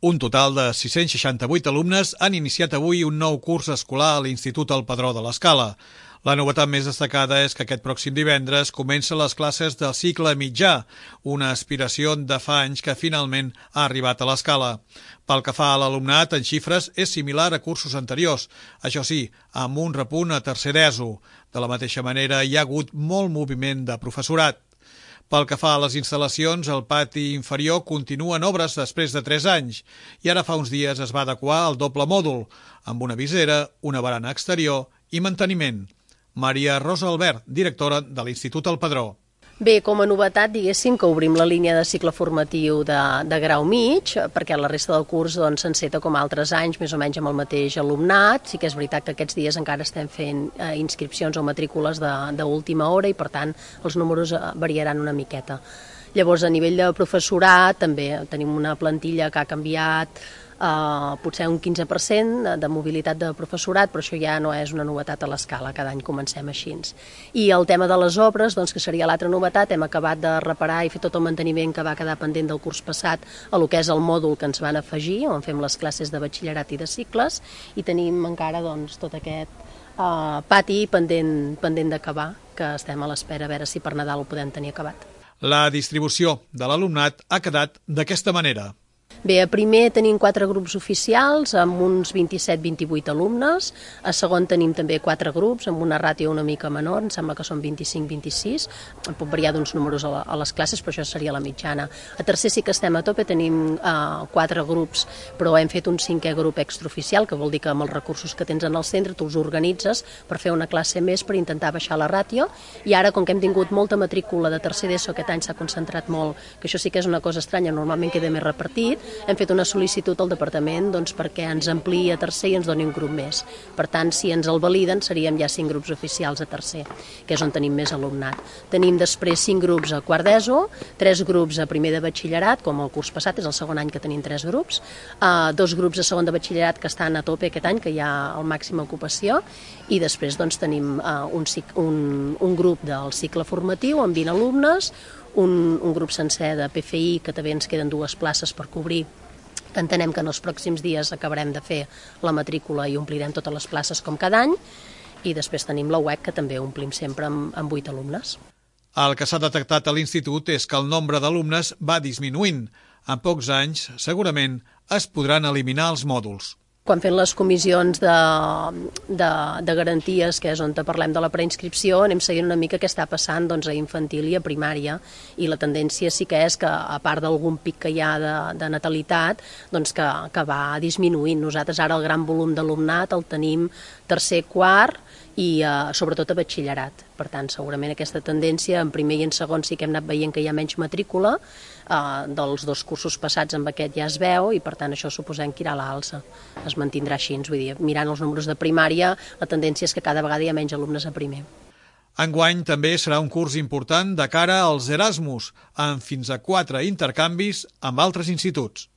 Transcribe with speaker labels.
Speaker 1: Un total de 668 alumnes han iniciat avui un nou curs escolar a l'Institut El Padró de l'Escala. La novetat més destacada és que aquest pròxim divendres comencen les classes del cicle mitjà, una aspiració de fa anys que finalment ha arribat a l'Escala. Pel que fa a l'alumnat, en xifres és similar a cursos anteriors, això sí, amb un repunt a tercer d'ESO. De la mateixa manera, hi ha hagut molt moviment de professorat. Pel que fa a les instal·lacions, el pati inferior continua en obres després de 3 anys i ara fa uns dies es va adequar al doble mòdul, amb una visera, una barana exterior i manteniment. Maria Rosa Albert, directora de l'Institut El Padró.
Speaker 2: Bé, com a novetat, diguéssim que obrim la línia de cicle formatiu de grau mig, perquè la resta del curs s'enceta com altres anys, més o menys amb el mateix alumnat. Sí que és veritat que aquests dies encara estem fent inscripcions o matrícules d'última hora i, per tant, els números variaran una miqueta. Llavors, a nivell de professorat, també tenim una plantilla que ha canviat potser un 15% de mobilitat de professorat, però això ja no és una novetat a l'Escala, cada any comencem així. I el tema de les obres, que seria l'altra novetat, hem acabat de reparar i fer tot el manteniment que va quedar pendent del curs passat a lo que és el mòdul que ens van afegir, on fem les classes de batxillerat i de cicles, i tenim encara tot aquest pati pendent d'acabar, que estem a l'espera a veure si per Nadal ho podem tenir acabat.
Speaker 1: La distribució de l'alumnat ha quedat d'aquesta manera.
Speaker 2: Bé, a primer tenim 4 grups oficials amb uns 27-28 alumnes, a segon tenim també 4 grups amb una ràtio una mica menor, em sembla que són 25-26, pot variar d'uns números a les classes, però això seria la mitjana. A tercer sí que estem a tope, tenim 4 grups, però hem fet un 5è grup extraoficial, que vol dir que amb els recursos que tens en el centre tu els organitzes per fer una classe més per intentar baixar la ràtio, i ara, com que hem tingut molta matrícula de tercer d'ESO, aquest any s'ha concentrat molt, que això sí que és una cosa estranya, normalment queda més repartit, hem fet una sol·licitud al departament perquè ens ampliï a tercer i ens doni un grup més. Per tant, si ens el validen, seríem ja 5 grups oficials a tercer, que és on tenim més alumnat. Tenim després 5 grups a quart d'ESO, 3 grups a primer de batxillerat, com el curs passat, és el segon any que tenim 3 grups, 2 grups a segon de batxillerat que estan a tope aquest any, que hi ha el màxima ocupació, i després tenim un grup del cicle formatiu amb 20 alumnes, un grup sencer de PFI, que també ens queden 2 places per cobrir, que entenem que en els pròxims dies acabarem de fer la matrícula i omplirem totes les places com cada any, i després tenim la UEC, que també omplim sempre amb 8 alumnes.
Speaker 1: El que s'ha detectat a l'Institut és que el nombre d'alumnes va disminuint. En pocs anys, segurament, es podran eliminar els mòduls.
Speaker 2: Quan fem les comissions de garanties, que és on parlem de la preinscripció, anem seguint una mica què està passant a infantil i a primària, i la tendència sí que és que, a part d'algun pic que hi ha de natalitat, que va disminuint. Nosaltres ara el gran volum d'alumnat el tenim tercer, quart i sobretot a batxillerat. Per tant, segurament aquesta tendència en primer i en segon sí que hem anat veient que hi ha menys matrícula, dels 2 cursos passats amb aquest ja es veu, i per tant això suposem que irà a l'alça. Es mantindrà així, vull dir, mirant els números de primària, la tendència és que cada vegada hi ha menys alumnes a primer.
Speaker 1: Enguany també serà un curs important de cara als Erasmus, amb fins a 4 intercanvis amb altres instituts.